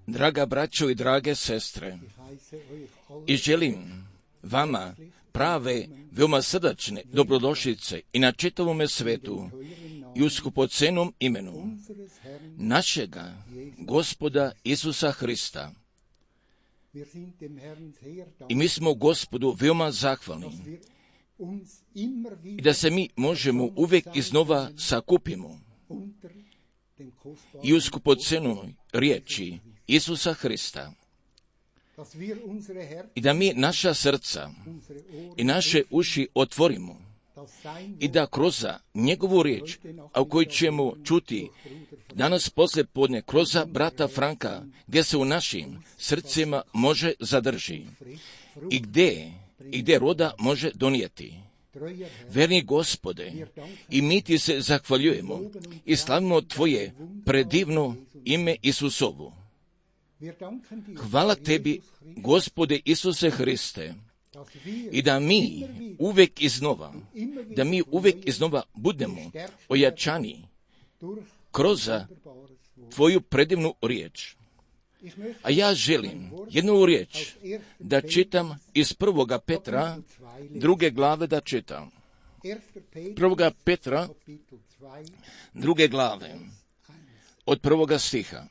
Draga braćo i drage sestre, i želim vama prave, veoma srdačne dobrodošlice i na čitavome svetu i u skupocenom imenu našega Gospoda Isusa Hrista. I mi smo Gospodu veoma zahvalni i da se mi možemo uvijek iznova sakupimo i u skupocenoj riječi Isusa Hrista. I da mi naša srca i naše uši otvorimo i da kroz njegovu riječ, a u kojoj ćemo čuti danas poslije podne kroz brata Franka, gdje se u našim srcima može zadrži i gdje roda može donijeti. Verni Gospode, i mi ti se zahvaljujemo i slavimo tvoje predivno ime Isusovu. Hvala tebi, Gospode Isuse Hriste, i da mi uvijek iznova budemo ojačani kroz tvoju predivnu riječ. A ja želim jednu riječ da čitam iz 1. Petra, 2. glave da čitam. 1. Petra, 2. glave, od 1. stiha.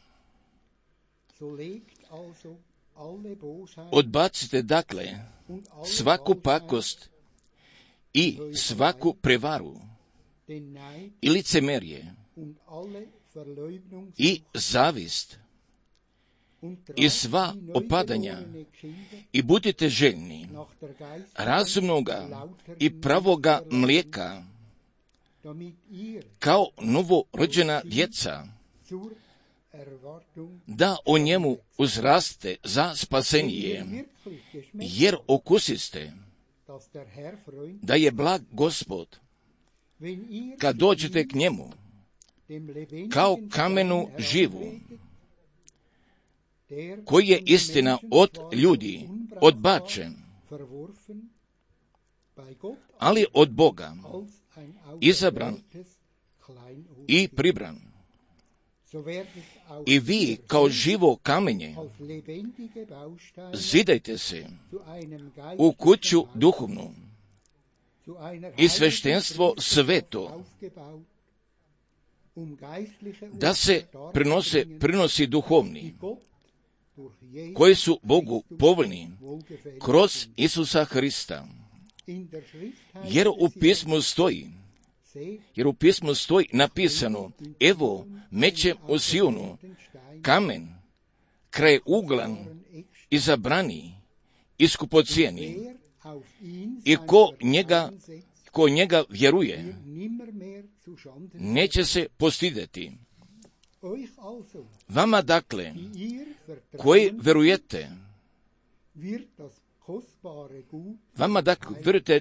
Odbacite dakle svaku pakost i svaku prevaru i licemerje i zavist i sva opadanja i budite željni razumnoga i pravoga mlijeka kao novorođena djeca, da o njemu uzraste za spasenje, jer okusiste da je blag Gospod kad dođete k njemu kao kamenu živu, koji je istina od ljudi odbačen, ali od Boga izabran i pribran. I vi kao živo kamenje zidajte se u kuću duhovnu i sveštenstvo sveto, da se prinosi duhovni, koji su Bogu povoljni kroz Isusa Hrista. Jer u pismu stoji napisano: evo, mećem u Sionu kamen, kraj uglan, izabrani i skupocijeni, i ko njega vjeruje, neće se postidjeti. Vama dakle, koji vjerujete,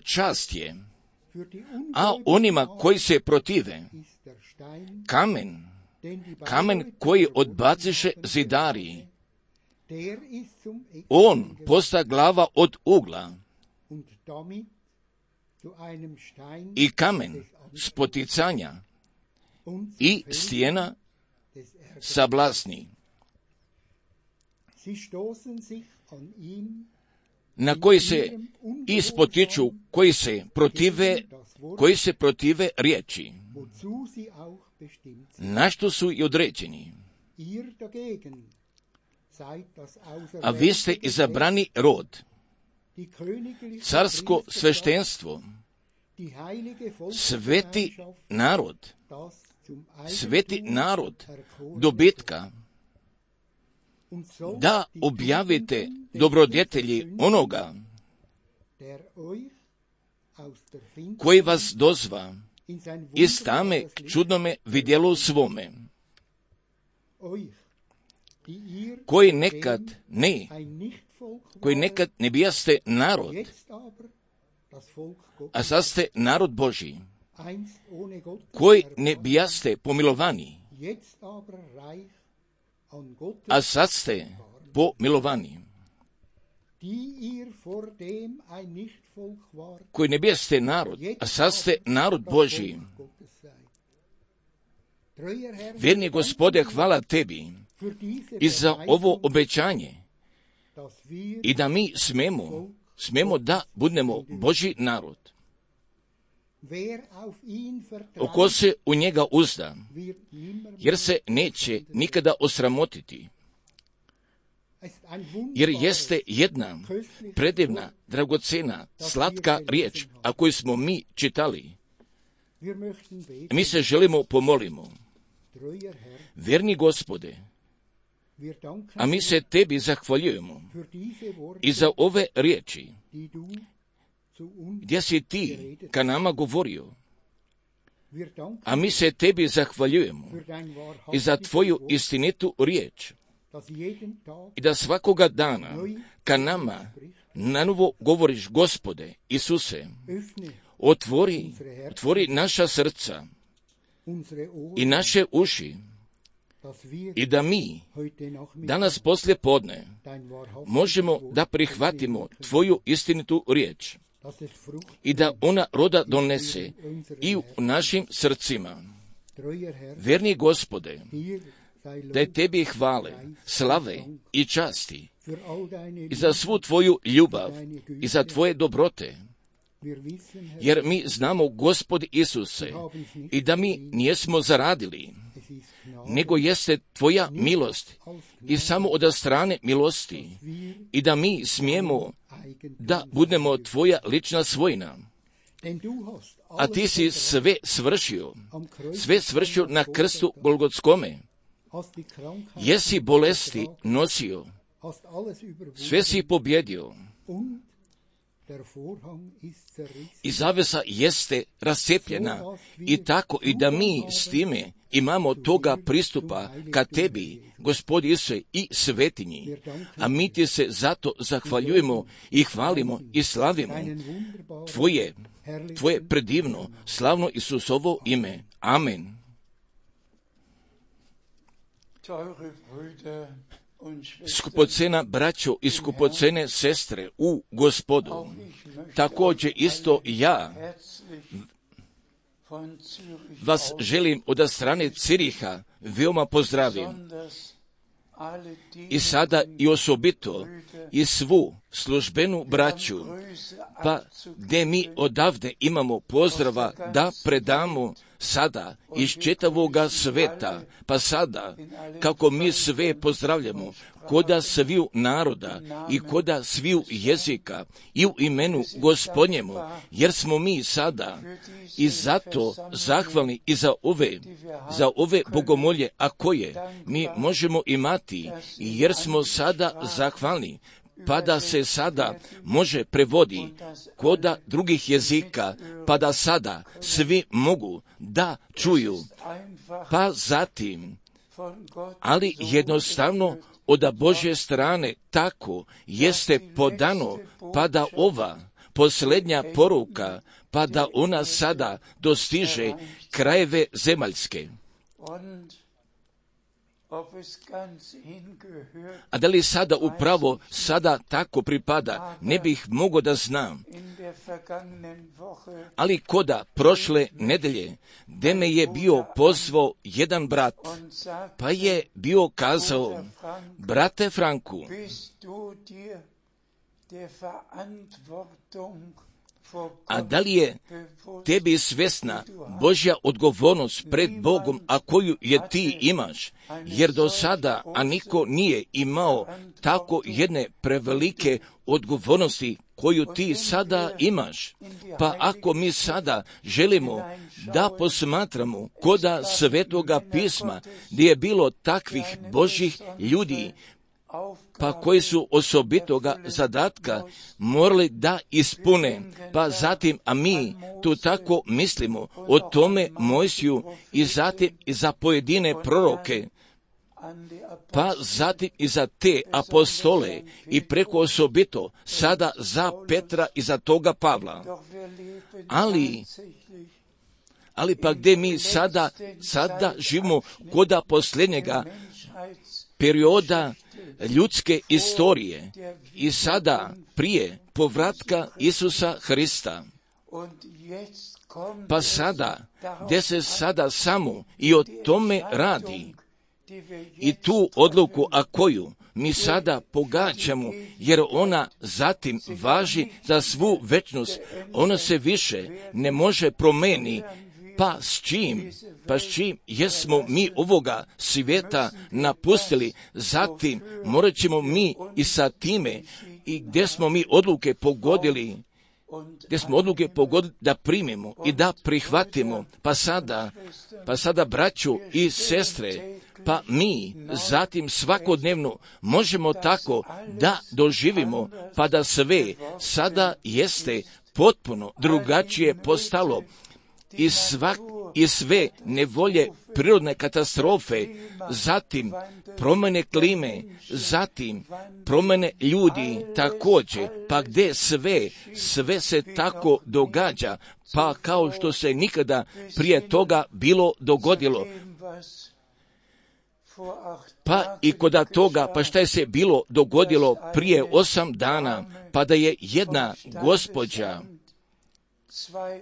čast je, a onima koji se protive, kamen koji odbaciše zidari, on posta glava od ugla i kamen spoticanja i stijena sablasni, na koji se ispotiču, koji se protive riječi, na što su i određeni. A vi ste izabrani rod, carsko sveštenstvo, sveti narod dobitka, da objavite dobrodjetelji onoga koji vas dozva iz tame k čudnome vidjelu svome, koji nekad ne bijaste narod, a sad ste narod Božji, koji ne bijaste pomilovani, a sad ste pomilovani, koji ne bijaste narod, a sad ste narod Božji, Vjerni Gospode, hvala Tebi i za ovo obećanje i da mi smemo da budemo Božji narod. Ko se u njega uzda, jer se neće nikada osramotiti, jer jeste jedna predivna, dragocena, slatka riječ, a koju smo mi čitali. Mi se želimo pomolimo. Vjerni Gospode, a mi se Tebi zahvaljujemo i za ove riječi gdje si Ti ka nama govorio. A mi se Tebi zahvaljujemo i za Tvoju istinitu riječ i da svakoga dana ka nama nanovo govoriš, Gospode Isuse, otvori naša srca i naše uši i da mi danas poslije podne možemo da prihvatimo Tvoju istinitu riječ i da ona roda donese i u našim srcima. Vjerni Gospode, da je Tebi hvale, slave i časti i za svu Tvoju ljubav i za Tvoje dobrote, jer mi znamo, Gospod Isuse, i da mi nijesmo zaradili, nego jeste Tvoja milost i samo od strane milosti i da mi smijemo da budemo Tvoja lična svojina. A Ti si sve svršio na krstu Golgotskome. Jesi bolesti nosio, sve si pobjedio i zavesa jeste rascepljena i tako i da mi s time imamo toga pristupa ka Tebi, Gospod Isuse, i svetinji. A mi Ti se zato zahvaljujemo i hvalimo i slavimo Tvoje predivno, slavno Isusovo ime. Amen. Skupocena braćo i skupocene sestre u Gospodu, također isto ja vas želim od strane Ciriha veoma pozdravim i sada i osobito i svu službenu braću, pa gdje mi odavde imamo pozdrava da predamo sada iz čitavoga sveta, pa sada kako mi sve pozdravljamo koda sviju naroda i koda sviju jezika i u imenu Gospodnjemu, jer smo mi sada i zato zahvalni i za ove bogomolje, a koje mi možemo imati, jer smo sada zahvalni, pa da se sada može prevodi koda drugih jezika, pa da sada svi mogu da čuju, pa zatim, ali jednostavno od Božje strane tako jeste podano, pa da ova posljednja poruka, pa da ona sada dostiže krajeve zemaljske. A da li sada upravo sada tako pripada, ne bih mogao da znam. Ali koda prošle nedelje, gde me je bio pozvao jedan brat, pa je bio kazao, brate Franku, a da li je tebi svjesna Božja odgovornost pred Bogom, a koju je ti imaš, jer do sada, a niko nije imao tako jedne prevelike odgovornosti koju ti sada imaš. Pa ako mi sada želimo da posmatramo koda Svetoga pisma, gdje je bilo takvih Božjih ljudi, pa koji su osobitoga zadatka morali da ispune, pa zatim, a mi tu tako mislimo o tome Mojsiju i zatim i za pojedine proroke, pa zatim i za te apostole i preko osobito sada za Petra i za toga Pavla. Ali pa gdje mi sada živimo koda posljednjega perioda ljudske istorije i sada prije povratka Isusa Hrista. Pa sada, gdje se sada samo i o tome radi, i tu odluku, a koju mi sada pogađamo, jer ona zatim važi za svu večnost, ona se više ne može promijeniti. Pa s čim jesmo mi ovoga svijeta napustili, zatim morat ćemo mi i sa time, i gdje smo mi odluke pogodili da primimo i da prihvatimo, pa sada braćo i sestre, pa mi zatim svakodnevno možemo tako da doživimo, pa da sve sada jeste potpuno drugačije postalo, i sve nevolje, prirodne katastrofe, zatim promjene klime, zatim promjene ljudi također, pa gdje sve se tako događa, pa kao što se nikada prije toga bilo dogodilo. Pa i kod toga, pa šta je se bilo dogodilo prije 8 dana, pa da je jedna gospođa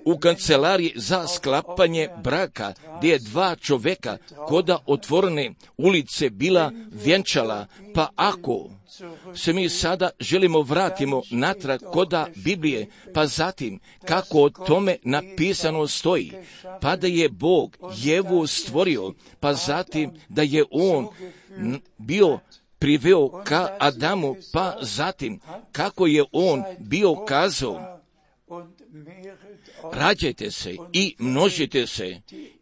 u kancelariji za sklapanje braka, gdje je 2 čovjeka koda otvorene ulice bila vjenčala, pa ako se mi sada želimo vratimo natrag koda Biblije, pa zatim kako o tome napisano stoji, pa da je Bog Jevu stvorio, pa zatim da je on bio priveo ka Adamu, pa zatim kako je on bio kazao, rađajte se i množite se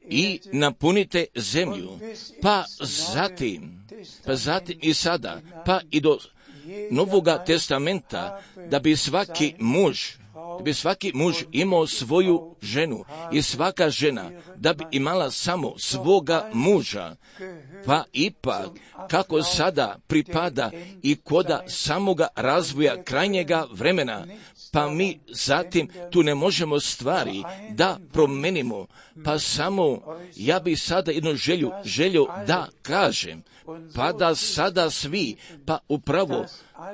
i napunite zemlju, pa zatim i sada, pa i do Novoga testamenta, da bi svaki muž imao svoju ženu i svaka žena da bi imala samo svoga muža, pa ipak kako sada pripada i koda samoga razvoja krajnjega vremena, pa mi zatim tu ne možemo stvari da promenimo, pa samo ja bi sada jednu želju da kažem, pa da sada svi, pa upravo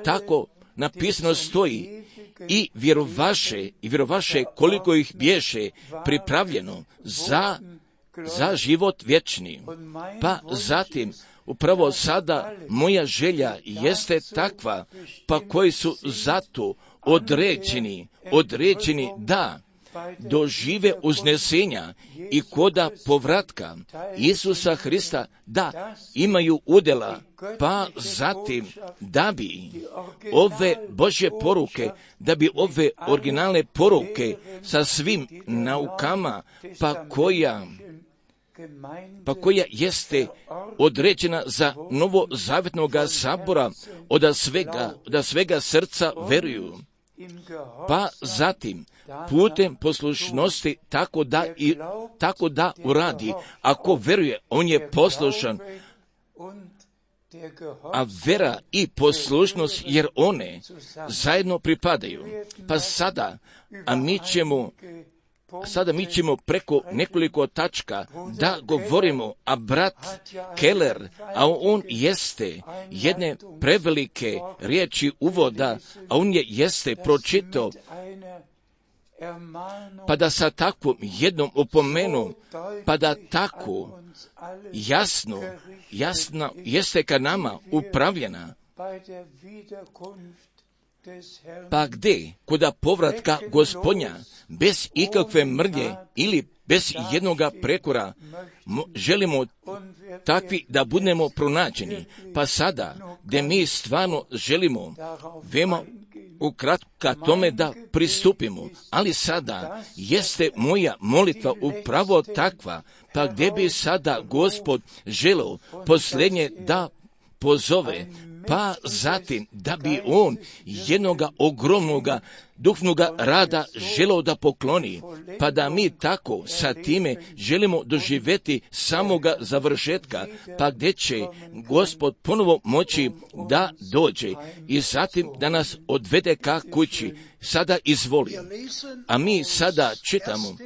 tako napisano stoji, i vjerovaše koliko ih bješe pripravljeno za život vječni. Pa zatim, upravo sada moja želja jeste takva, pa koji su zato određeni da dožive uznesenja i koda povratka Isusa Hrista, da imaju udjela, pa zatim da bi ove Božje poruke, da bi ove originalne poruke sa svim naukama, pa koja jeste određena za novozavjetnoga sabora, od svega srca veruju, pa zatim putem poslušnosti tako da uradi. Ako veruje, on je poslušan, a vera i poslušnost, jer one zajedno pripadaju. Pa sada mi ćemo preko nekoliko tačka da govorimo, a brat Keller, a on jeste jedne prevelike riječi uvoda, a on jeste pročitao, pa da sa takvom jednom opomenu, pa da tako jasno jeste ka nama upravljena, pa gdje koda povratka Gospodnja bez ikakve mrlje ili bez jednoga prekora želimo takvi da budemo pronađeni, pa sada gdje mi stvarno želimo veoma ukratko tome da pristupimo, ali sada jeste moja molitva upravo takva, pa gdje bi sada Gospod želeo posljednje da pozove, pa zatim da bi on jednoga ogromnoga duhovnoga rada želeo da pokloni, pa da mi tako sa time želimo doživjeti samoga završetka, pa gdje će Gospod ponovo moći da dođe i zatim da nas odvede ka kući. Sada izvoli. A mi sada čitamo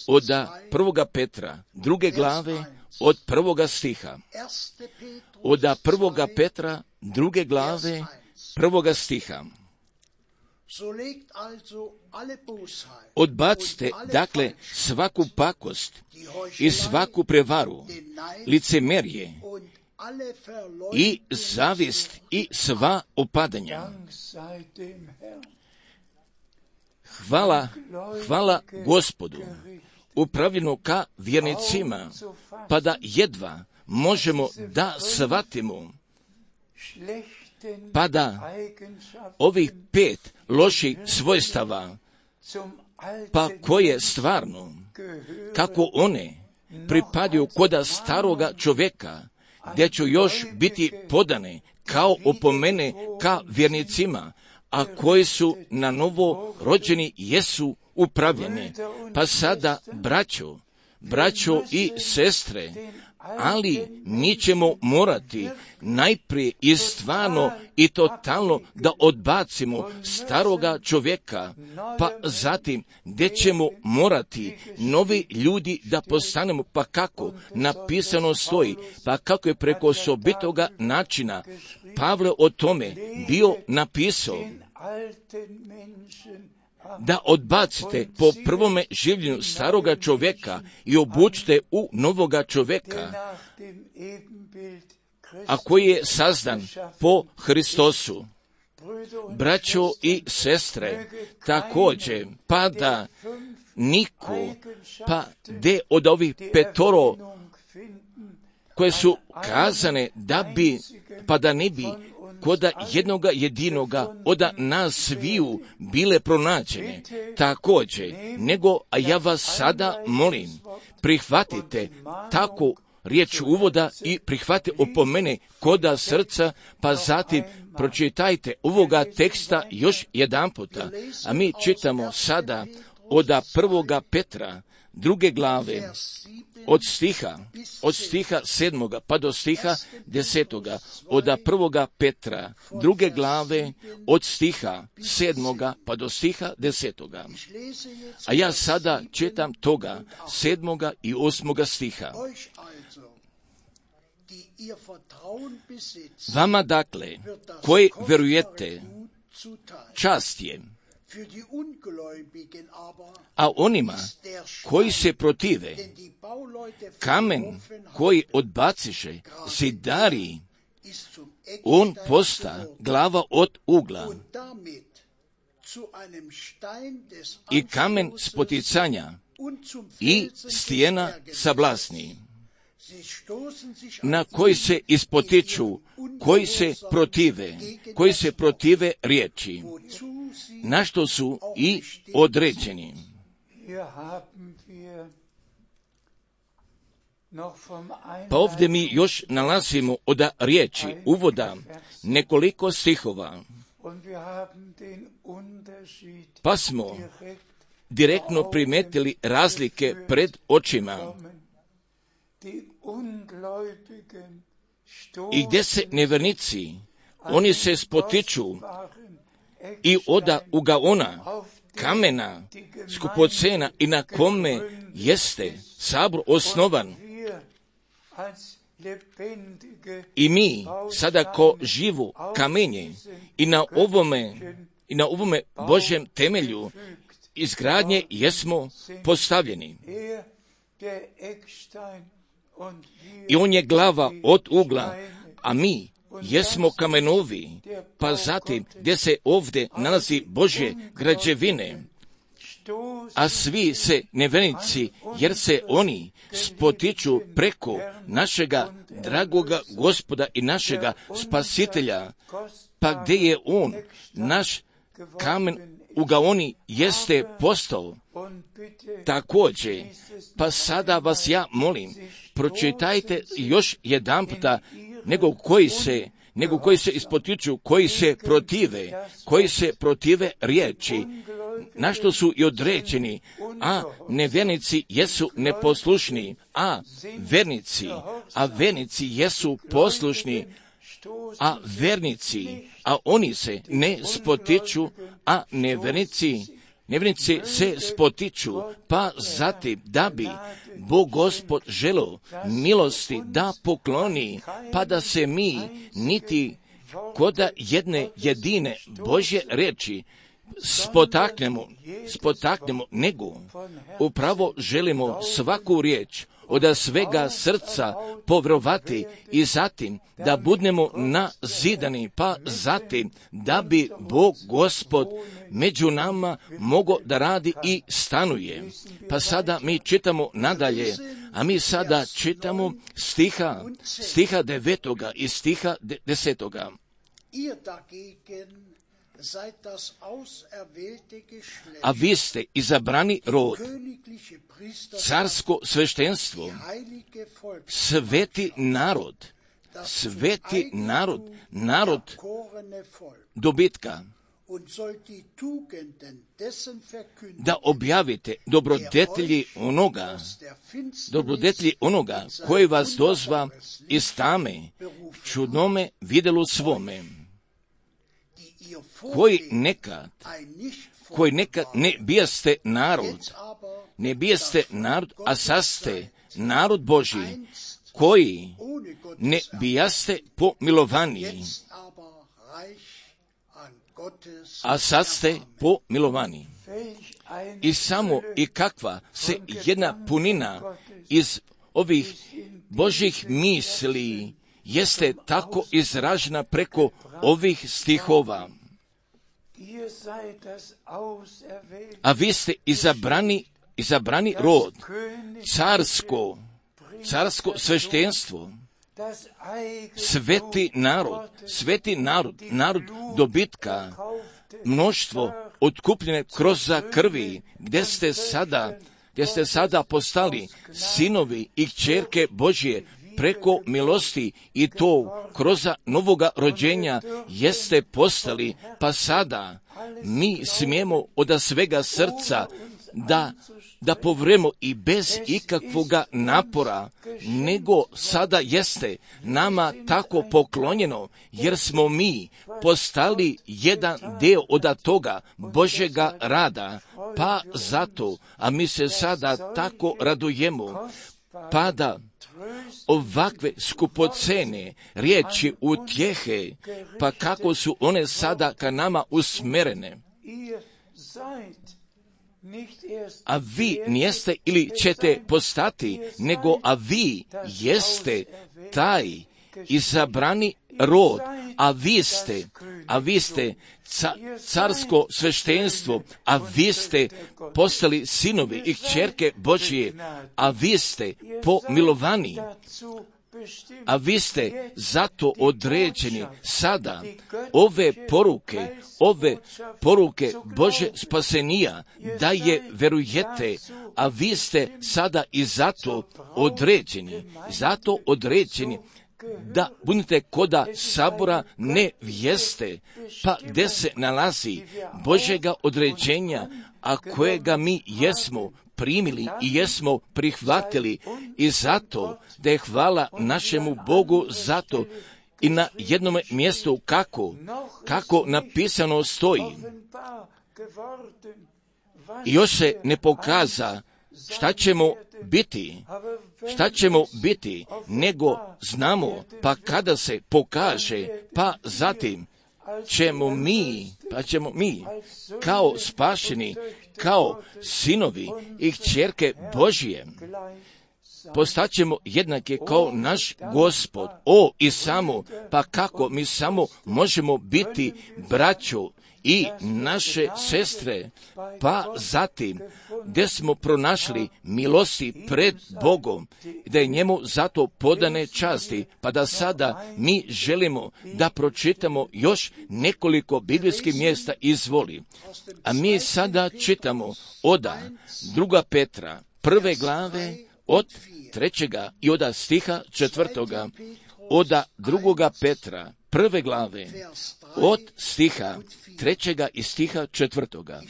od 1. Petra, 2. glave, od 1. stiha. Od 1. Petra, 2. glave, 1. stiha. Odbacite, dakle, svaku pakost i svaku prevaru, licemerje i zavist i sva opadanja. Hvala Gospodu, upravljeno ka vjernicima, pa da jedva možemo da shvatimo, pa da ovih 5 loših svojstava, pa koje stvarno, kako one pripadaju koda staroga čovjeka, gdje ću još biti podane kao opomene ka vjernicima, a koji su na novo rođeni jesu upravljeni. Pa sada, braćo i sestre, ali mi ćemo morati najprije i stvarno i totalno da odbacimo staroga čovjeka, pa zatim gdje ćemo morati novi ljudi da postanemo, pa kako napisano stoji, pa kako je preko osobitoga načina Pavle o tome bio napisao, da odbacite po prvome življenju staroga čovjeka i obučite u novoga čovjeka, a koji je sazdan po Hristosu. Braćo i sestre, također, pa da niko, pa de od ovih 5 koje su kazane da bi, pa da ne bi koda jednoga jedinoga od nas sviju bile pronađene. Također, nego, a ja vas sada molim, prihvatite tako riječ uvoda i prihvatite opomene koda srca, pa zatim pročitajte ovoga teksta još jedan puta. A mi čitamo sada od 1. Petra, 2. glave, od stiha 7. pa do stiha 10. od 1. Petra, 2. glave, od stiha 7. pa do stiha 10. A ja sada čitam toga 7. i 8. stiha. Vama dakle, koji vjerujete, čast je, a onima koji se protive, kamen koji odbaciše zidari, on posta glava od ugla i kamen spoticanja i stijena sablasni, na koji se ispotiču, koji se protive riječi, na što su i određeni. Pa ovdje mi još nalazimo od riječi uvoda nekoliko stihova, pa smo direktno primetili razlike pred očima, i gdje se nevjernici, oni se spotiču i oda ugaona, kamena, skupocena, i na kome jeste sabor osnovan. I mi sada ko živo kamenje i na ovome Božjem temelju izgradnje jesmo postavljeni. I on je glava od ugla, a mi jesmo kamenovi, pa zatim gdje se ovdje nalazi Božje građevine, a svi se nevjernici, jer se oni spotiču preko našega dragoga Gospoda i našega Spasitelja, pa gdje je on, naš kamen ugaoni, jeste postao. Također, pa sada vas ja molim, pročitajte još jedan puta, nego koji se ispotiču, koji se protive riječi, na što su i određeni, a nevjernici jesu neposlušni, a vernici jesu poslušni, a oni se ne spotiču, a nevjernici se spotiču, pa zatim da bi Bog Gospod želeo milosti da pokloni, pa da se mi niti koda jedne jedine Božje riječi, spotaknemo, nego upravo želimo svaku riječ od svega srca povjerovati i zatim da budemo nazidani, pa zatim da bi Bog Gospod među nama mogao da radi i stanuje. Pa sada mi čitamo nadalje, a mi sada čitamo stiha 9. i stiha 10. A vi ste izabrani rod, carsko sveštenstvo, sveti narod, narod dobitka, da objavite dobrodetlji onoga koji vas dozva iz tame, čudnome vidjelu svome, koji nekad ne bijaste narod, a sad ste narod Božji, koji ne bijaste pomilovani, a sad ste pomilovani. I samo i kakva se jedna punina iz ovih Božjih misli jeste tako izražena preko ovih stihova. A vi ste izabrani rod, carsko sveštenstvo, sveti narod dobitka, mnoštvo otkupljene kroz krvi, gdje ste sada postali sinovi i kćerke Božje preko milosti, i to kroz novoga rođenja jeste postali, pa sada mi smijemo od svega srca da povremo i bez ikakvoga napora, nego sada jeste nama tako poklonjeno, jer smo mi postali jedan dio od toga Božjega rada, pa zato, a mi se sada tako radujemo, pa da ovakve skupocene riječi utjehe, pa kako su one sada ka nama usmerene. A vi nijeste ili ćete postati, nego a vi jeste taj izabrani rod, a vi ste carsko sveštenstvo, a vi ste postali sinovi i kćerke Božje, a vi ste pomilovani, a vi ste zato određeni sada ove poruke Bože spasenija, da je verujete, a vi ste sada i zato određeni, da budete koda sabora nevjeste, pa gdje se nalazi Božjega određenja, a kojega mi jesmo primili i jesmo prihvatili, i zato da je hvala našemu Bogu zato. I na jednom mjestu kako napisano stoji, i još se ne pokaza šta ćemo biti, nego znamo, pa kada se pokaže, pa zatim ćemo mi kao spašeni, kao sinovi i kćerke Božije, postaćemo jednake kao naš Gospod. I samo, pa kako mi samo možemo biti braćo i naše sestre, pa zatim gdje smo pronašli milosti pred Bogom, da je njemu zato podane časti, pa da sada mi želimo da pročitamo još nekoliko biblijskih mjesta, izvoli. A mi sada čitamo od 2. Petra 1. glave od 3. i od stiha 4. Od 2. Petra 1. glave od stiha 3. i stiha 4.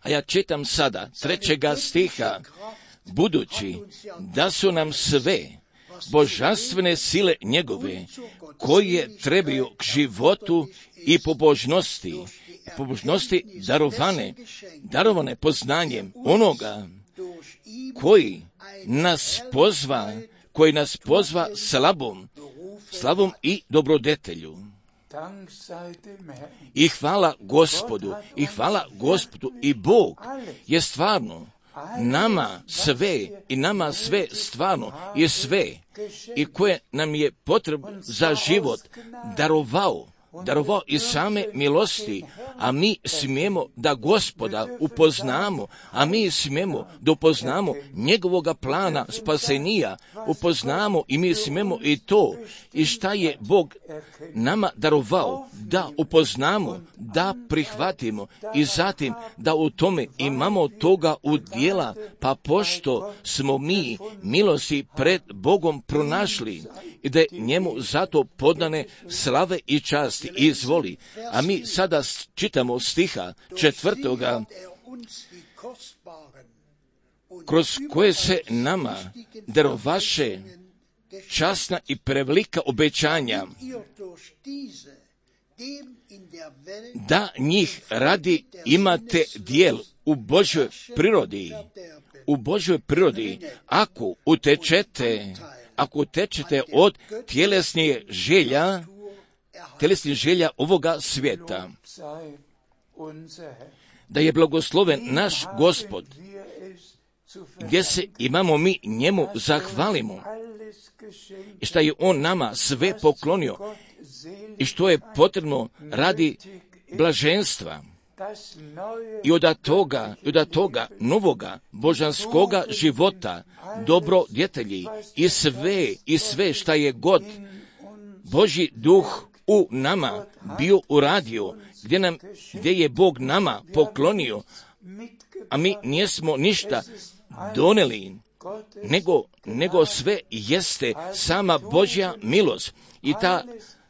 A ja čitam sada 3. stiha. Budući da su nam sve božanstvene sile njegove, koje trebaju k životu i pobožnosti darovane poznanjem onoga koji nas pozva slavom i dobrodetelju. I hvala Gospodu, i Bog je stvarno nama sve stvarno je sve i koje nam je potrebno za život darovao iz same milosti, a mi smijemo da Gospoda upoznamo, a mi smijemo da upoznamo njegovoga plana spasenija, upoznamo i mi smijemo i to i šta je Bog nama darovao, da upoznamo, da prihvatimo i zatim da u tome imamo toga udjela, pa pošto smo mi milosti pred Bogom pronašli i da je njemu zato podane slave i časti. Izvoli. A mi sada čitamo stiha 4. kroz koje se nama darovaše časna i prevelika obećanja, da njih radi imate dijel u Božjoj prirodi, ako utečete od tjelesnih želja ovoga svijeta. Da je blagosloven naš Gospod, gdje se imamo mi njemu zahvalimo, i što je on nama sve poklonio i što je potrebno radi blaženstva. I od toga novoga božanskoga života, dobrodjetelji i sve šta je god Božji duh u nama bio uradio, gdje je Bog nama poklonio, a mi nismo ništa doneli, nego sve jeste sama Božja milost i ta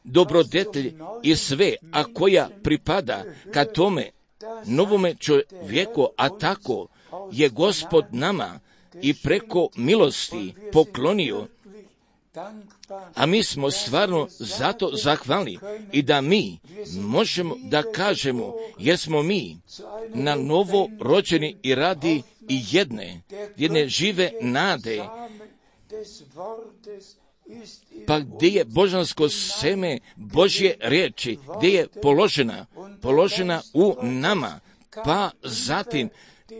dobrodetelj i sve, a koja pripada ka tome novome čovjeku, a tako je Gospod nama i preko milosti poklonio, a mi smo stvarno zato zahvalni i da mi možemo da kažemo jer smo mi na novo rođeni i radi i jedne žive nade, pa gdje je božansko seme Božje riječi, gdje je položena u nama, pa zatim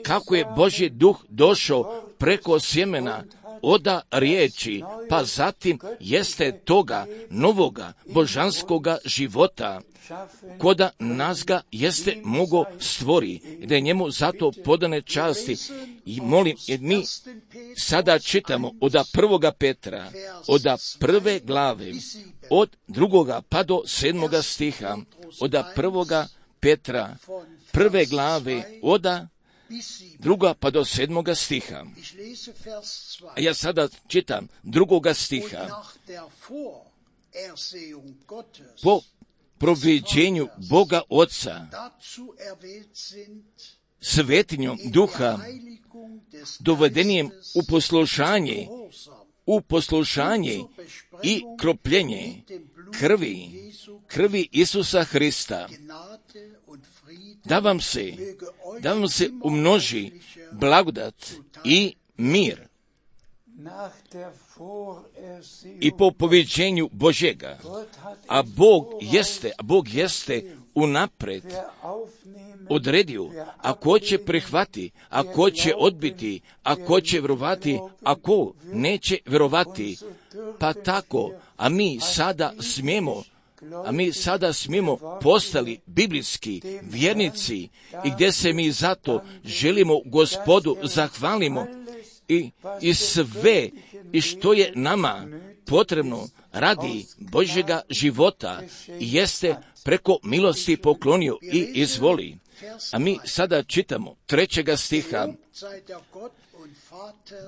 kako je Božji duh došao preko sjemena oda riječi, pa zatim jeste toga novoga božanskoga života, koda nas ga jeste mogo stvori, da je njemu zato podane časti. I molim, jer mi sada čitamo od 1. Petra, od 1. glave, od 2. pa do 7. stiha, od 1. Petra, 1. glave, od 2. pa do 7. stiha. A ja sada čitam 2. stiha. Po proviđenju Boga Oca, svetinjom duha, dovedenijem u poslušanje i kropljenje krvi Isusa Hrista, da vam se umnoži blagodat i mir. I po poviđenju Božjega, a Bog jeste unapred odredio, ako će prihvati, ako će odbiti, ako će vjerovati, ako neće vjerovati, pa tako, a mi sada smijemo postali biblijski vjernici i gdje se mi zato želimo Gospodu zahvalimo i sve i što je nama potrebno radi Božjega života jeste preko milosti poklonio i izvoli. A mi sada čitamo 3. stiha.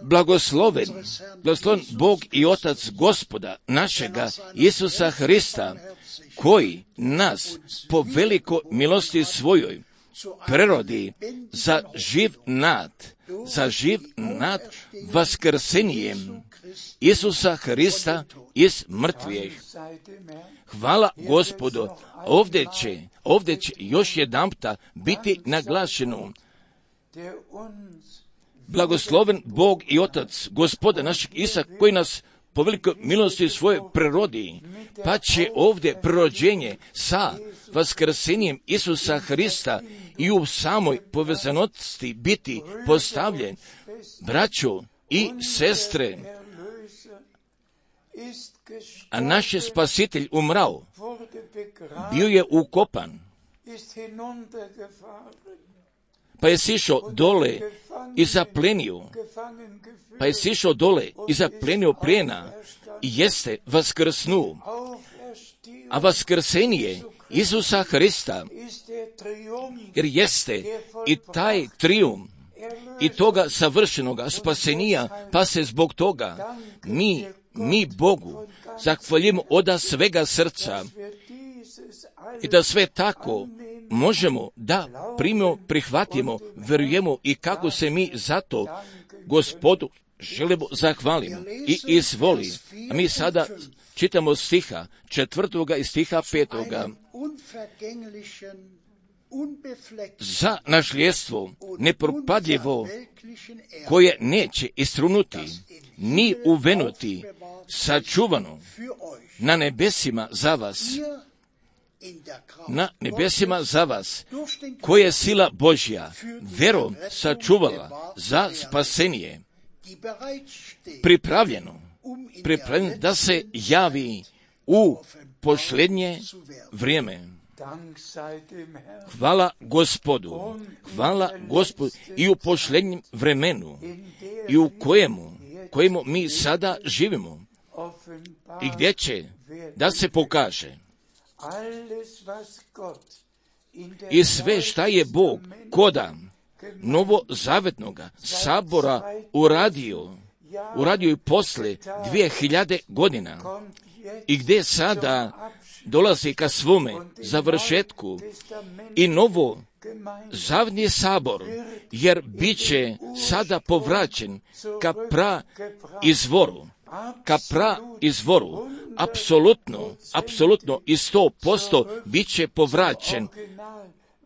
Blagosloven Bog i Otac Gospoda našega Isusa Hrista, koji nas po velikoj milosti svojoj prerodi za živ nad vaskrsenjem Isusa Hrista iz mrtvih. Hvala Gospodu. Ovdje će još jedanputa biti naglašeno. Blagosloven Bog i Otac Gospoda našeg Isusa, koji nas po velikoj milosti svoje prirodi, pa će ovdje prirođenje sa vaskrsenjem Isusa Hrista i u samoj povezanosti biti postavljen. Braćo i sestre, a naš je Spasitelj umrao, bio je ukopan, pa je sišao dole i zaplenio, plijena i jeste vaskrsnuo. A vaskrsenje Isusa Hrista, jer jeste i taj trijumf i toga savršenoga spasenija, pa se zbog toga mi Bogu zahvaljujemo od svega srca i da sve tako možemo da primimo, prihvatimo, vjerujemo i kako se mi zato Gospodu želimo zahvaliti i izvoli. A mi sada čitamo stiha 4. i stiha 5. Za nasljedstvo nepropadljivo, koje neće istrunuti, ni uvenuti, sačuvano na nebesima za vas, koje je sila Božja verom sačuvala za spasenje, pripravljeno da se javi u posljednje vrijeme. Hvala Gospodu i u posljednjem vremenu i u kojemu mi sada živimo i gdje će da se pokaže i sve šta je Bog koda novozavetnoga sabora uradio i posle 2000 godina i gdje sada dolazi ka svome završetku i novo zavetni sabor, jer bit će sada povraćen ka izvoru, apsolutno i 100%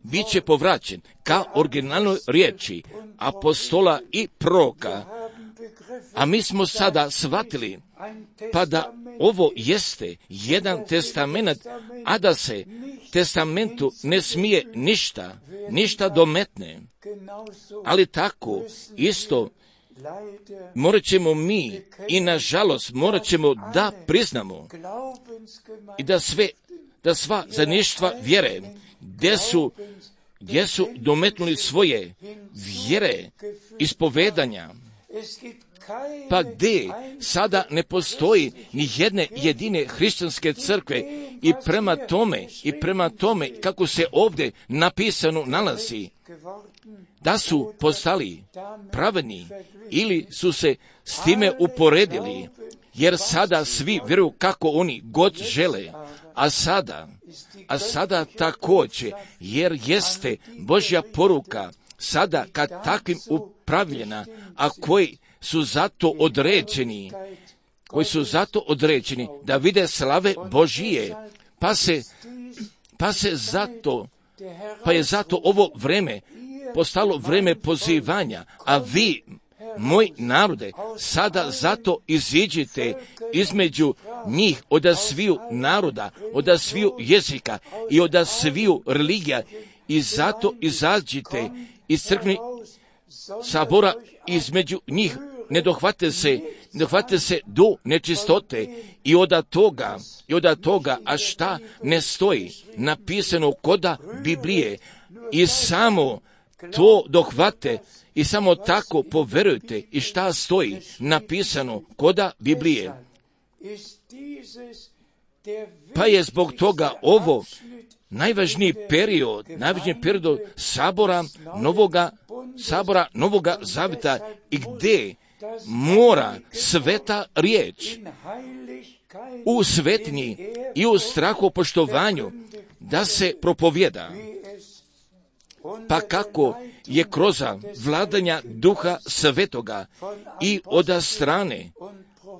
bit će povraćen ka originalnoj riječi apostola i proroka. A mi smo sada shvatili pa da ovo jeste jedan testament, a da se testamentu ne smije ništa dometne. Ali tako isto morat ćemo mi i nažalost morat ćemo da priznamo i da sva zajedništva vjere gdje su dometnuli svoje vjere, ispovedanja, pa gdje sada ne postoji ni jedne jedine hrišćanske crkve i prema tome kako se ovdje napisano nalazi, da su postali pravedni ili su se s time uporedili, jer sada svi vjeruju kako oni god žele, a sada također, jer jeste Božja poruka sada kad takvim upravljena, a koji su zato određeni da vide slave Božije, pa je zato ovo vreme postalo vreme pozivanja, a vi, moj narode, sada zato iziđite između njih od sviju naroda, od sviju jezika i od sviju religija i zato izađite iz crkvenih sabora između njih. Ne dohvate se do nečistote i od toga, a šta ne stoji napisano koda Biblije, i samo to dohvate i samo tako poverujte i šta stoji napisano koda Biblije. Pa je zbog toga ovo najvažniji period sabora Novoga Zaveta i gdje mora sveta riječ u svetnji i u strahopoštovanju da se propovjeda. Pa kako je kroz vladanja Duha Svetoga i od strane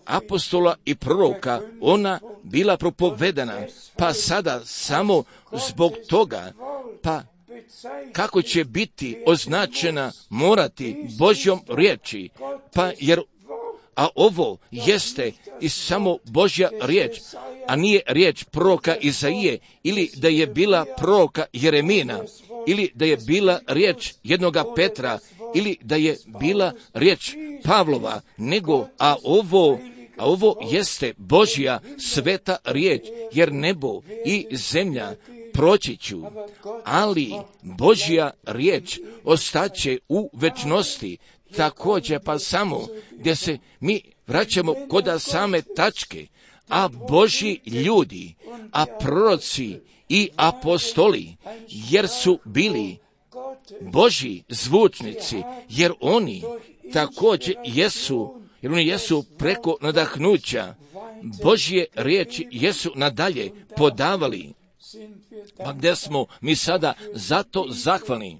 apostola i proroka ona bila propovedana, pa sada samo zbog toga, pa kako će biti označena morati Božjom riječi, pa jer a ovo jeste i samo Božja riječ, a nije riječ proroka Izaije, ili da je bila proroka Jeremina, ili da je bila riječ jednoga Petra, ili da je bila riječ Pavlova, nego, a ovo jeste Božja sveta riječ, jer nebo i zemlja proći ću, ali Božja riječ ostaće u večnosti. Također pa samo gdje se mi vraćamo kod same tačke, a Božji ljudi, a proroci i apostoli, jer su bili Božji zvučnici, jer oni također jesu preko nadahnuća Božje riječi jesu nadalje podavali. Pa gdje smo mi sada zato zahvalni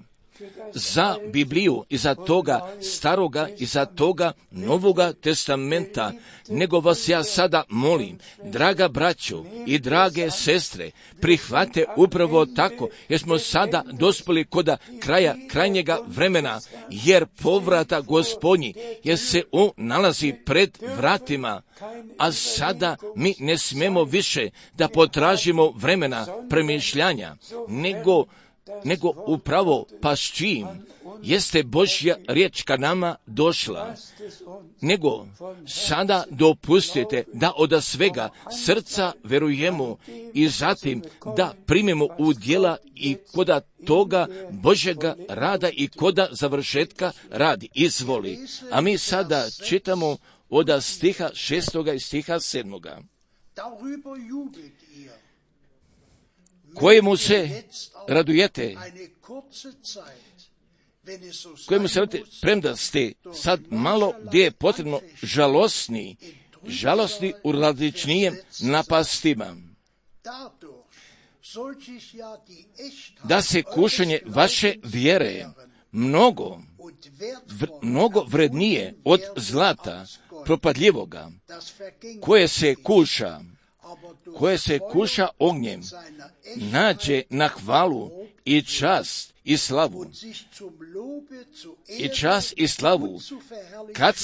za Bibliju i za toga staroga i za toga novoga testamenta, nego vas ja sada molim, draga braćo i drage sestre, prihvate upravo tako, jer smo sada dospjeli kod kraja krajnjega vremena, jer povrata Gospodnji, jer se on nalazi pred vratima, a sada mi ne smemo više da potražimo vremena premišljanja, nego upravo pa s čim jeste Božja riječ ka nama došla, nego sada dopustite da od svega srca verujemo i zatim da primimo u djela i koda toga Božjega rada i koda završetka radi. Izvoli. A mi sada čitamo od stiha 6. i stiha 7. Kojemu se radujete, premda ste sad malo gdje je potrebno žalostni u različnijem napastima, da se kušanje vaše vjere mnogo vrednije od zlata propadljivoga, koje se kuša ognjem, nađe na hvalu i čast i slavu. I čast i slavu kad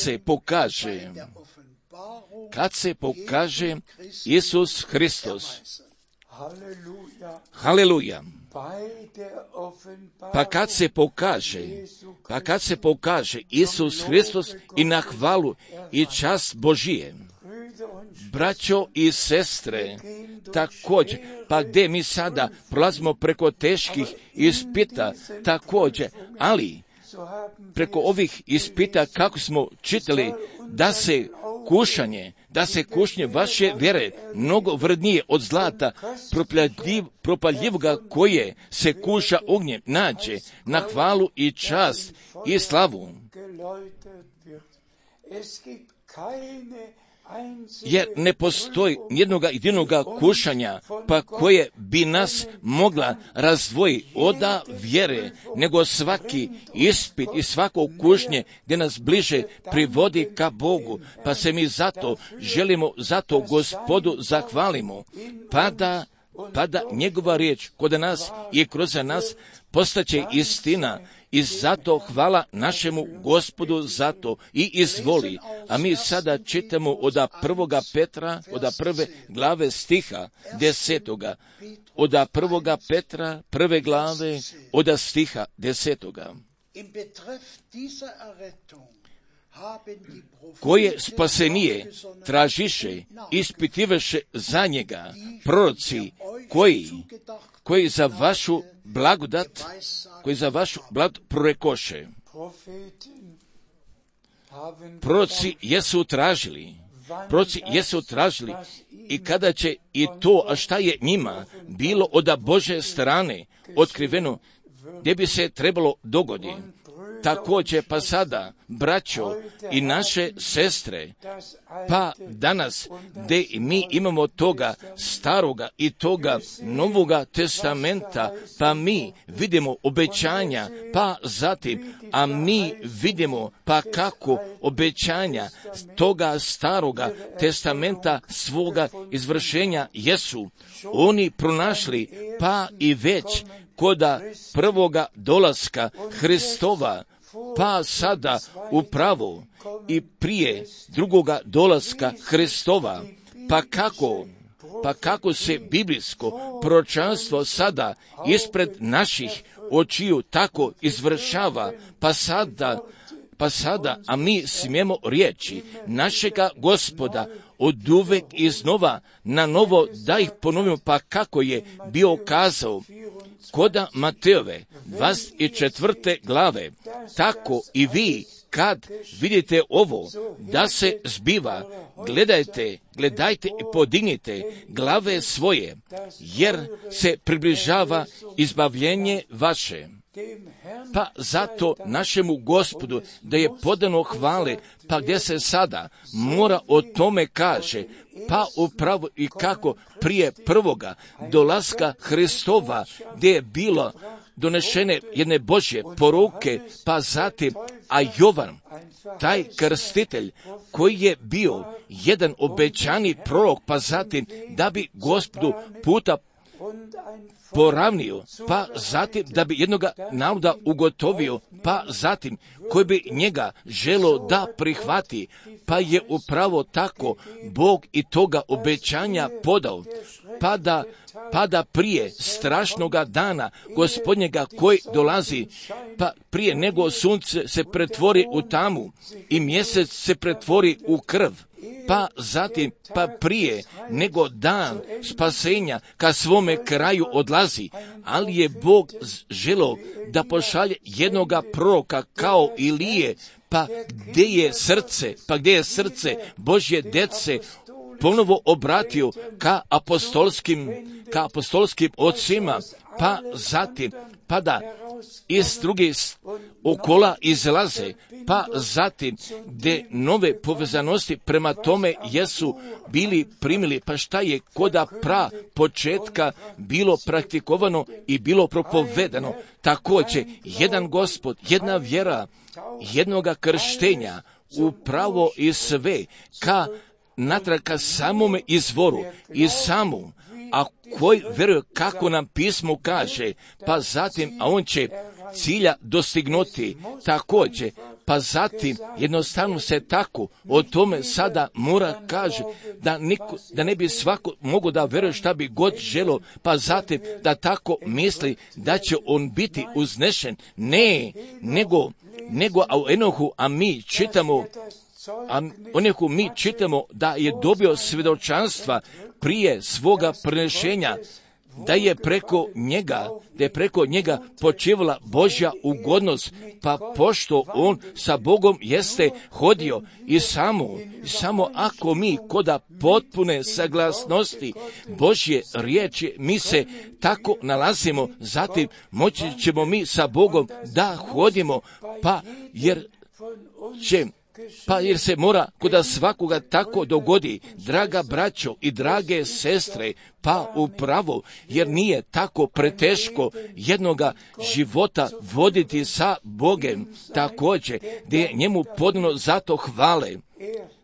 se pokaže Isus Hristos. Haleluja. Pa kad se pokaže Isus Hristos i na hvalu i čast Božije. Braćo i sestre, također, pa gdje mi sada prolazimo preko teških ispita, također, ali preko ovih ispita, kako smo čitali, da se kušnje vaše vjere mnogo vrednije od zlata propaljivoga koje se kuša ognjem, nađe na hvalu i čast i slavu. Jer ne postoji jednoga jedinoga kušanja, pa koje bi nas mogla razdvojiti od vjere, nego svaki ispit i svako kušnje gdje nas bliže privodi ka Bogu, pa se mi zato želimo, zato Gospodu zahvalimo, pa da njegova riječ kod nas i kroz nas postaće istina. I zato hvala našemu Gospodu zato i izvoli. A mi sada čitamo od 1. Petra, od 1. glave stiha 10. Od 1. Petra, 1. glave, od stiha 10. Koje spasenije tražiše, ispitivaše za njega proroci koji za vašu blagodat prorekoše. Proroci jesu tražili i kada će i to, a šta je njima bilo od Božje strane otkriveno, gdje bi se trebalo dogoditi. Također pa sada, braćo i naše sestre, pa danas gdje mi imamo toga staroga i toga novoga testamenta, pa mi vidimo obećanja, pa zatim, a mi vidimo pa kako obećanja toga staroga testamenta svoga izvršenja jesu oni pronašli, pa i već koda prvoga dolaska Hristova, pa sada upravo i prije drugoga dolaska Hristova, pa kako se biblijsko proročanstvo sada ispred naših očiju tako izvršava, pa sada, a mi smijemo riječi našega Gospoda oduvek iznova na novo da ih ponovimo, pa kako je bio kazao koda Matejove 24. glave, tako i vi kad vidite ovo da se zbiva, gledajte i podignite glave svoje, jer se približava izbavljenje vaše. Pa zato našemu Gospodu da je podano hvale, pa gdje se sada mora o tome kaže, pa upravo i kako prije prvoga dolaska Hristova, gdje je bilo donešene jedne Božje poruke, pa zatim, a Jovan, taj krstitelj, koji je bio jedan obećani prorok, pa zatim, da bi Gospodu puta poravnio, pa zatim da bi jednoga naroda ugotovio, pa zatim koji bi njega želo da prihvati, pa je upravo tako Bog i toga obećanja podao, pa da prije strašnoga dana Gospodnjega koji dolazi, pa prije nego sunce se pretvori u tamu i mjesec se pretvori u krv, pa zatim, pa prije nego dan spasenja ka svome kraju odlazi, ali je Bog želeo da pošalje jednoga proroka kao Ilije, pa gdje je srce Božje dece ponovo obratio ka apostolskim ocima, pa zatim, pa da iz drugih okola izlaze, pa zatim gdje nove povezanosti prema tome jesu bili primili, pa šta je koda početka bilo praktikovano i bilo propovedano, također jedan Gospod, jedna vjera, jednoga krštenja, upravo i sve natrag ka samome izvoru i samu, a koji vjeruje kako nam pismo kaže, pa zatim, a on će cilja dostignuti također, pa zatim jednostavno se tako o tome sada mora kaže, da ne bi svako mogo da vjeruje šta bi god želo, pa zatim da tako misli da će on biti uznešen, nego a u Enohu, a mi čitamo da je dobio svjedočanstva prije svoga prenešenja, da je preko njega počivala Božja ugodnost, pa pošto on sa Bogom jeste hodio i samo ako mi koda potpune saglasnosti Božje riječi mi se tako nalazimo, zatim moći ćemo mi sa Bogom da hodimo, jer se mora koda svakoga tako dogodi, draga braćo i drage sestre, pa upravo, jer nije tako preteško jednoga života voditi sa Bogem, također, gdje je njemu podano zato hvale.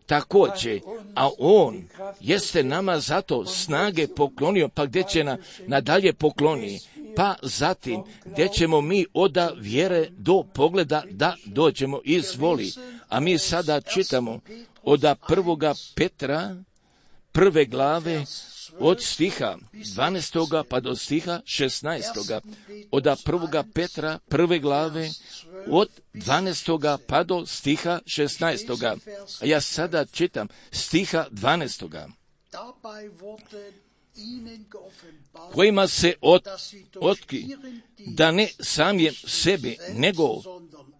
Također, a on jeste nama zato snage poklonio, pa gdje će nadalje pokloni, pa zatim gdje ćemo mi od vjere do pogleda da dođemo izvoli. A mi sada čitamo od 1. Petra 1. glave od stiha 12. pa do stiha 16. Od 1. Petra 1. glave od 12. pa do stiha 16. A ja sada čitam stiha 12. kojima se otkri da ne samim sebi,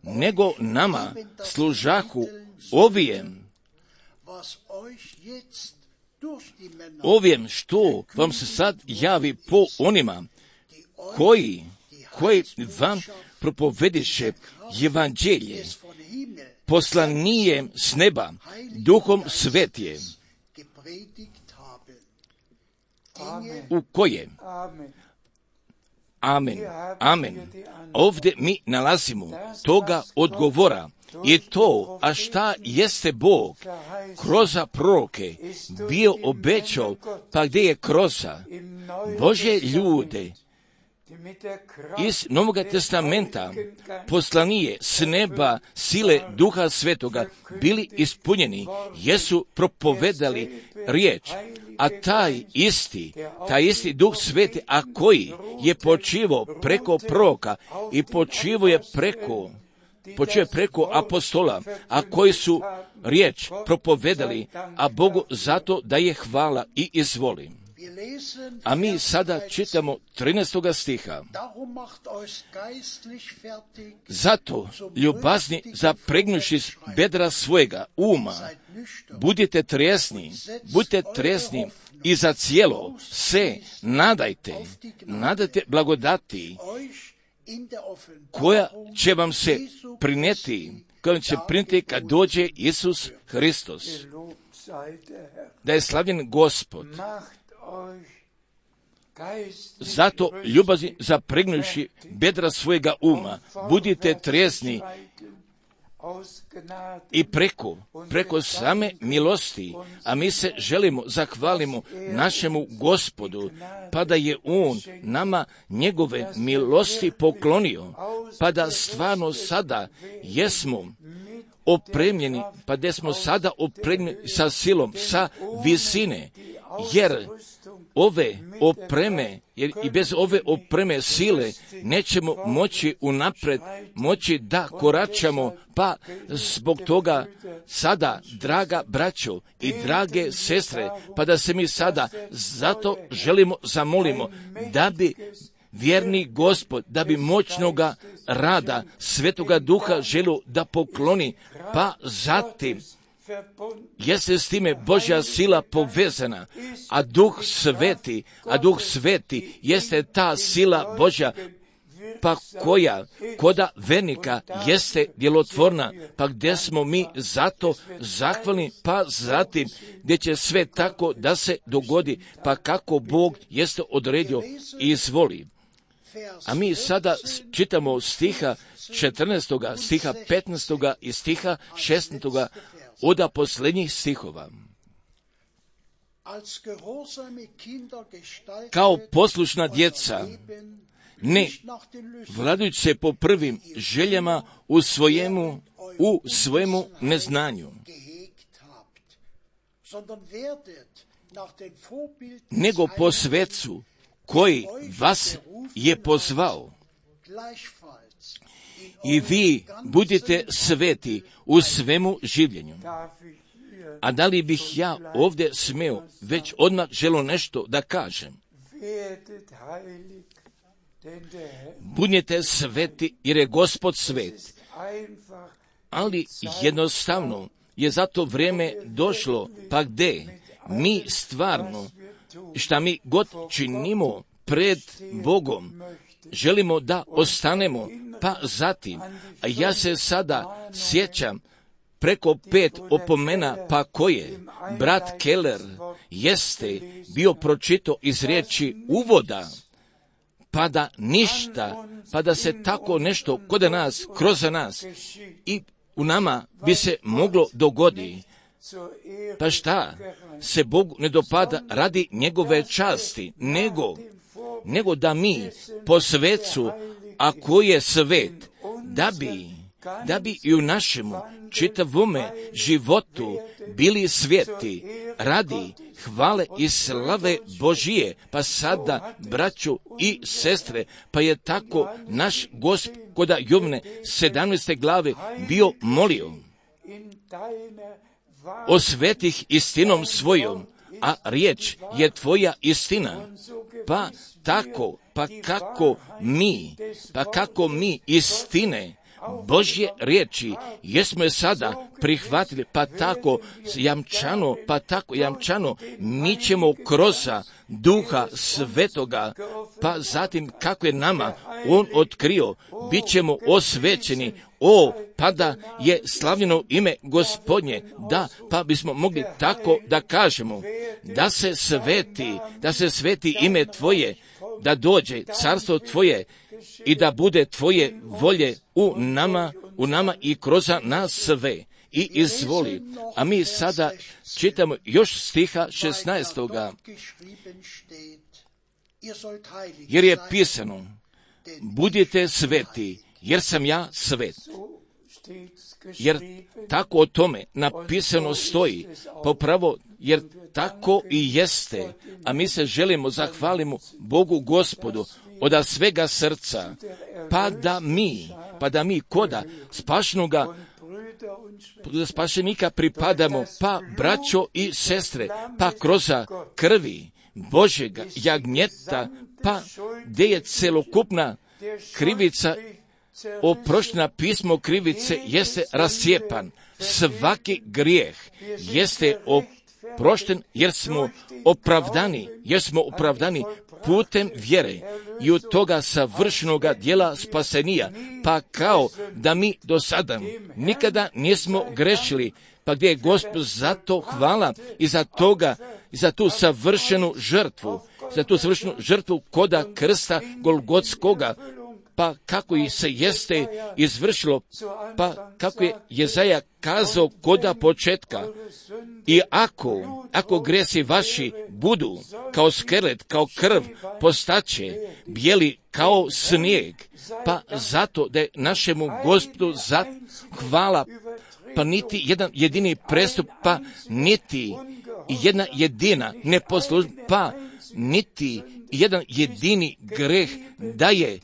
nego nama služahu ovijem što vam se sad javi po onima koji vam propovediše evanđelje poslanijem s neba, duhom svetije, u koje Amen. Ovdje mi nalazimo toga odgovora i to, a šta jeste Bog kroz proroke bio obećao, pa gdje je kroz Božje ljude iz Novoga testamenta poslanije s neba sile Duha Svetoga bili ispunjeni, jesu propovedali riječ, a taj isti Duh Sveti, a koji je počivao preko proroka i počivao je preko apostola, a koji su riječ propovedali, a Bogu zato da je hvala i izvoli. A mi sada čitamo 13. stiha. Zato, ljubazni, zapregnuši bedra svojega uma, budite trijesni i za cijelo se nadajte blagodati koja će vam se prinijeti kad dođe Isus Hristos. Da je slavljen Gospod. Zato, ljubazni, zapregnuši bedra svojega uma, budite trijesni i preko same milosti, a mi se želimo zahvalimo našemu Gospodu, pa da je On nama njegove milosti poklonio, pa da stvarno sada jesmo opremljeni, pa da smo sada opremljeni sa silom, sa visine, jer ove opreme, jer i bez ove opreme sile nećemo moći da koračamo, pa zbog toga sada, draga braćo i drage sestre, pa da se mi sada zato zamolimo da bi vjerni Gospod, da bi moćnoga rada Svetoga Duha želio da pokloni, pa zatim jeste s time Božja sila povezana, a Duh Sveti jeste ta sila Božja, pa koja koda vernika jeste djelotvorna, pa gdje smo mi zato zahvalni, pa zatim gdje će sve tako da se dogodi, pa kako Bog jeste odredio i izvoli. A mi sada čitamo stiha 14. stiha 15. i stiha 16. od posljednjih stihova. Kao poslušna djeca, ne vladajući se po prvim željama u svojemu neznanju, nego po svecu koji vas je pozvao. I vi budite sveti u svemu življenju. A da li bih ja ovdje smio već odmah želio nešto da kažem? Budite sveti jer je Gospod svet. Ali jednostavno je za to vrijeme došlo, pa gdje mi stvarno, šta mi god činimo pred Bogom, želimo da ostanemo, pa zatim, a ja se sada sjećam preko 5 opomena, pa koje brat Keller jeste bio pročitao iz riječi uvoda, pa da ništa, pa da se tako nešto kod nas, kroz nas i u nama bi se moglo dogoditi. Pa šta se Bogu ne dopada radi njegove časti, nego da mi po svecu, a koji je svet, da bi i u našemu čitavome životu bili sveti radi hvale i slave Božije. Pa sada, braćo i sestre, pa je tako naš Gospoda Jovne 17. glave bio molio: osvetih istinom svojom, a riječ je tvoja istina. Pa tako, kako mi istine Božje riječi jesmo je sada prihvatili, pa tako jamčano mi ćemo kroz Duha Svetoga, pa zatim kako je nama On otkrio, bit ćemo osvećeni. Pa da je slavljeno ime Gospodnje, pa bismo mogli tako da kažemo, da se sveti ime Tvoje, da dođe carstvo Tvoje i da bude Tvoje volje u nama i kroz nas sve. I izvoli. A mi sada čitamo još stiha 16. jer je pisano, budite sveti, jer sam ja svet. Jer tako o tome napisano stoji, popravo, jer tako i jeste, a mi se želimo zahvalimo Bogu Gospodu od svega srca, pa da mi koda spašenika pripadamo, pa braćo i sestre, pa kroz krvi Božjega jagnjeta, pa gdje je celokupna krivica oproštena, pismo krivice jeste rascijepan, svaki grijeh jeste oprošten jer smo opravdani putem vjere i od toga savršenoga djela spasenija, pa kao da mi do sada nikada nismo grešili, pa gdje je Gospod zato hvala i za tu savršenu žrtvu koda krsta Golgotskoga, pa kako i se jeste izvršilo, pa kako je Jezaja kazao koda početka. I ako gresi vaši budu kao skelet, kao krv, postaće bijeli kao snijeg, pa zato da je našemu Gospodu hvala, pa niti jedan jedini prestup, pa niti jedna jedina neposlušnost, pa niti jedan jedini greh da je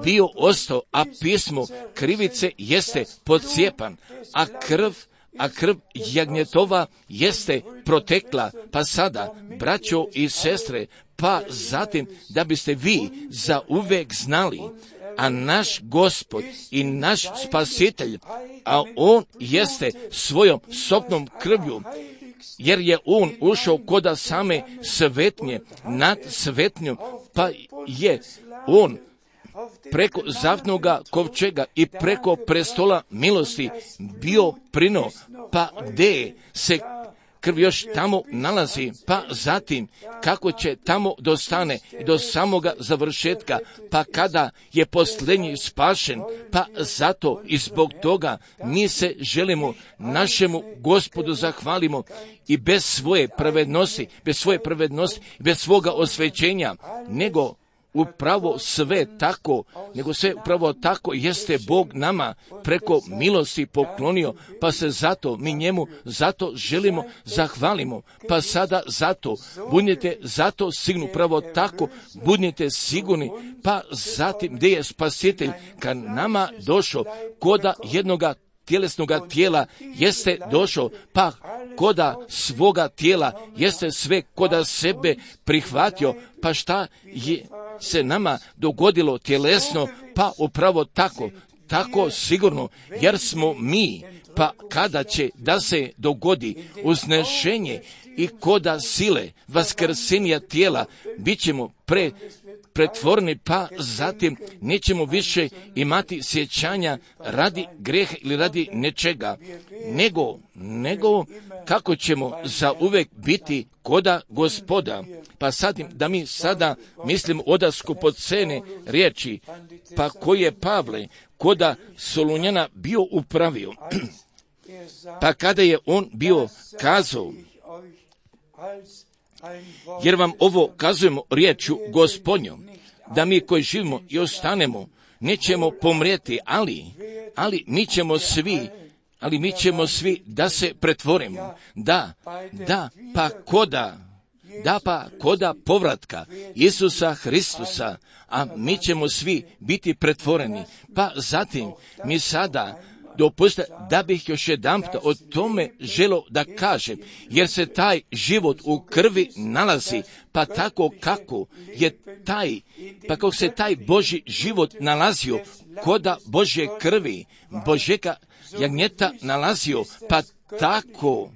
bio ostao, a pismo krivice jeste podcijepan, a krv jagnjetova jeste protekla, pa sada, braćo i sestre, pa zatim da biste vi za uvek znali, a naš Gospod i naš Spasitelj, a On jeste svojom sopnom krvlju, jer je On ušao koda same svetnje, nad svetnjom, pa je On preko zavnoga kovčega i preko prestola milosti bio prino, pa gdje se krv još tamo nalazi, pa zatim kako će tamo dostane do samoga završetka, pa kada je posljednji spašen, pa zato i zbog toga mi se želimo našemu Gospodu zahvalimo i bez svoje pravednosti, bez svoga osvećenja, nego upravo sve upravo tako jeste Bog nama preko milosti poklonio, pa se zato mi njemu želimo zahvalimo, pa sada budite zato sigurni, upravo tako budite sigurni, pa zatim gdje je Spasitelj kad nama došao koda jednoga tjelesnoga tijela jeste došao, pa koda svoga tijela jeste sve koda sebe prihvatio, pa šta je se nama dogodilo tjelesno, pa upravo tako sigurno, jer smo mi, pa kada će da se dogodi uznešenje i koda sile vaskrsenja tijela, bit ćemo pretvorni, pa zatim nećemo više imati sjećanja radi grijeha ili radi nečega, nego kako ćemo zauvek biti koda Gospoda. Pa sadim da mi sada mislim odasku podcene riječi, pa koji je Pavle koda Solunjana bio upravio, pa kada je on bio kazao, jer vam ovo kazujemo riječju Gospodnjom, da mi koji živimo i ostanemo nećemo pomrijeti, ali mi ćemo svi da se pretvorimo, pa koda povratka Isusa Hristusa, a mi ćemo svi biti pretvoreni. Pa zatim mi sada dopustite da bih još jedanput o tome želio da kažem, jer se taj život u krvi nalazi, pa tako kako se taj Božji život nalazio koda Božje krvi, Božjega jagnjeta nalazio, pa tako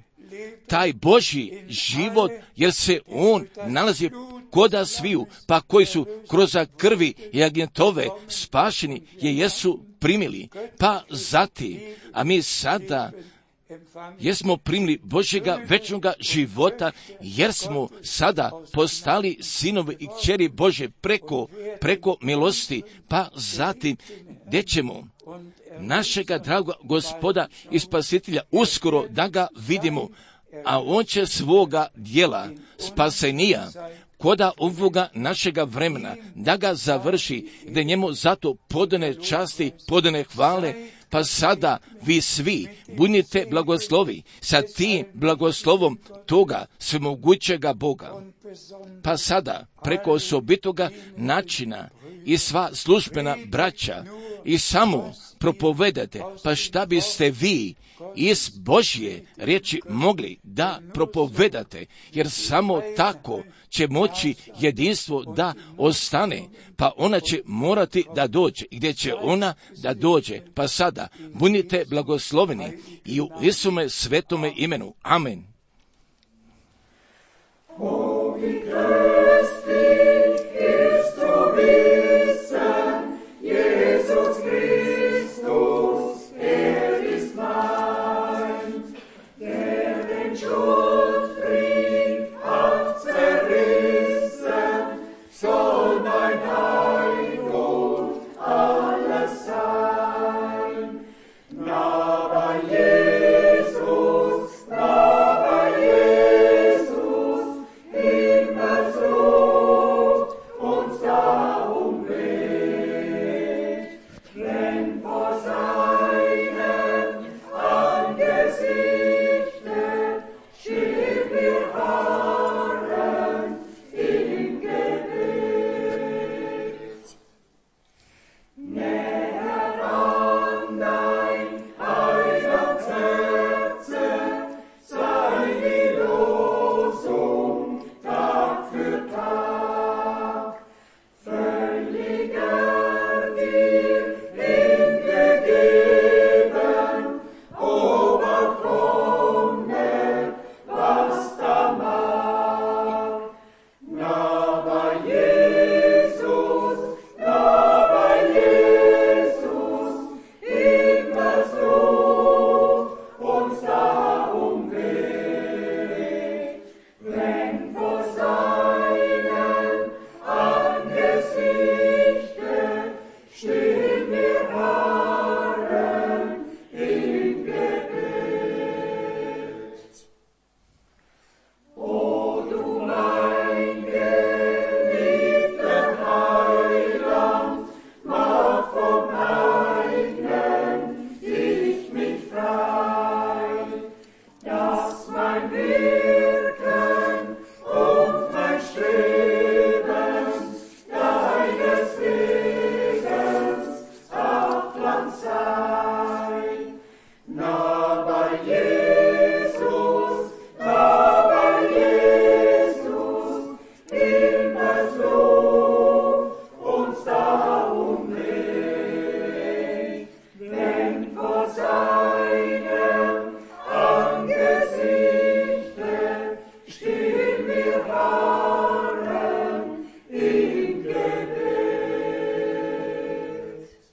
taj Božji život, jer se on nalazi koda sviju, pa koji su kroz krvi jagnjetove spašeni jesu primili, pa zatim, a mi sada jesmo primili Božjega večnoga života, jer smo sada postali sinovi i kćeri Božje preko milosti, pa zatim gdje ćemo našega dragoga Gospoda i Spasitelja uskoro da ga vidimo, a on će svoga djela spasenija koda ovoga našega vremena, da ga završi, gdje njemu zato podane časti, podane hvale, pa sada vi svi budite blagoslovi sa tim blagoslovom toga svemogućega Boga. Pa sada preko osobitoga načina i sva službena braća i samo propovedate, pa šta biste vi iz Božje riječi mogli da propovedate, jer samo tako će moći jedinstvo da ostane, pa ona će morati da dođe. Gdje će ona da dođe? Pa sada budite blagosloveni i u Isume svetome imenu. Amen. Stop.